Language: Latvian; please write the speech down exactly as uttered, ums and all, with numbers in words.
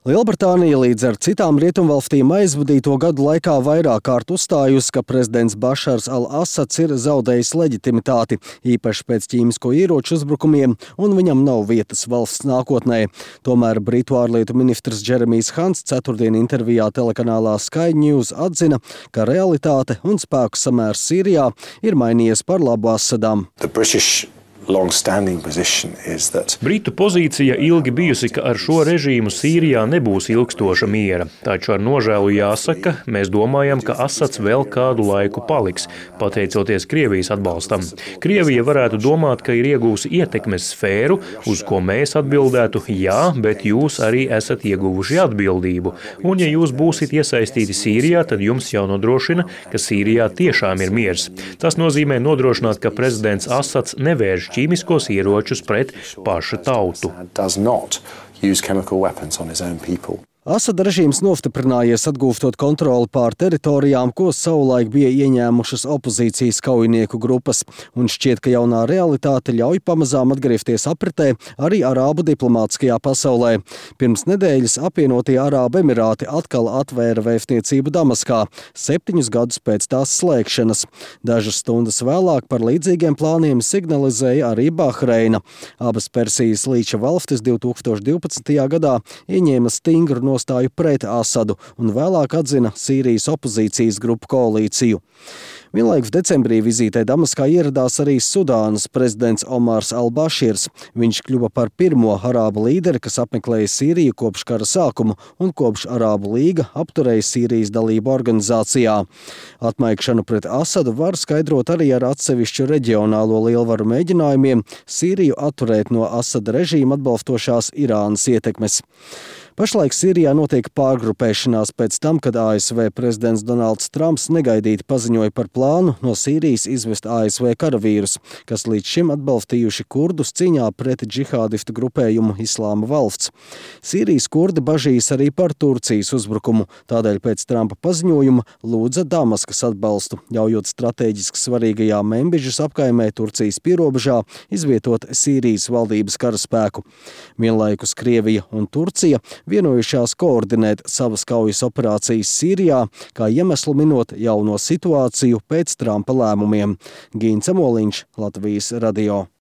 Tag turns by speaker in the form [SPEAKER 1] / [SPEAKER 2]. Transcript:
[SPEAKER 1] Lielbritānija līdz ar citām rietumvalstīm aizvadīto gadu laikā vairāk kārt uzstājusi, ka prezidents Bašars al-Asads ir zaudējis leģitimitāti, īpaši pēc ķīmisko ieroču uzbrukumiem, un viņam nav vietas valsts nākotnē. Tomēr Britu ārlietu ministrs Džeremijs Hants ceturtdien intervijā telekanālā Sky News atzina, ka realitāte un spēku samērs Sīrijā ir mainījies par labu Asadam.
[SPEAKER 2] Britu pozīcija ilgi bijusi, ka ar šo režīmu Sīrijā nebūs ilgstoša miera. Taču ar nožēlu jāsaka, mēs domājam, ka Asads vēl kādu laiku paliks, pateicoties Krievijas atbalstam. Krievija varētu domāt, ka ir iegūsi ietekmes sfēru, uz ko mēs atbildētu jā, bet jūs arī esat ieguvuši atbildību. Un ja jūs būsit iesaistīti Sīrijā, tad jums jau nodrošina, ka Sīrijā tiešām ir miers. Tas nozīmē nodrošināt, ka prezidents Asads nevērš ķīmiskos ieročus pret pašu tautu.
[SPEAKER 1] Asada režīms nostiprinājies atgūstot kontroli pār teritorijām, ko savulaik bija ieņēmušas opozīcijas kaujinieku grupas, un šķiet, ka jaunā realitāte ļauj pamazām atgriezties apritē arī arābu diplomātiskajā pasaulē. Pirms nedēļas apvienotie Arābu Emirāti atkal atvēra vēstniecību Damaskā, septiņus gadus pēc tās slēgšanas. Dažas stundas vēlāk par līdzīgiem plāniem signalizēja arī Bahreina. Abas Persijas līča valstis divtūkstoš divpadsmitajā gadā ieņēma stingru no nostāju pret Asadu un vēlāk atzina Sīrijas opozīcijas grupu koalīciju. Vienlaikus decembrī vizītē Damaskā ieradās arī Sudānas prezidents Omars al-Baširs. Viņš kļuva par pirmo arābu līderi, kas apmeklēja Sīriju kopš kara sākuma un kopš Arābu līga apturēja Sīrijas dalību organizācijā. Atmaikšanu pret Asadu var skaidrot arī ar atsevišķu reģionālo lielvaru mēģinājumiem Sīriju atturēt no Asada režīma atbalstošās Irānas ietekmes. Pašlaik Sīrijā notiek pārgrupēšanās pēc tam, kad A S V prezidents Donalds Trumps negaidīti paziņoja par plānu no Sīrijas izvest A S V karavīrus, kas līdz šim atbalstījuši kurdus cīņā pret džihādistu grupējumu Islāma valsts. Sīrijas kurdi bažīs arī par Turcijas uzbrukumu, tādēļ pēc Trumpa paziņojuma lūdza Damaskas atbalstu, ļaujot strateģiski svarīgajā Membižas apkaimē Turcijas pierobežā izvietot Sīrijas valdības karaspēku. Vienlaikus Krievija un Turcija vienojušās koordinēt savas kaujas operācijas Sīrijā, kā iemeslu minot jauno situāciju pēc Trumpa lēmumiem. Gīns Amoliņš, Latvijas radio.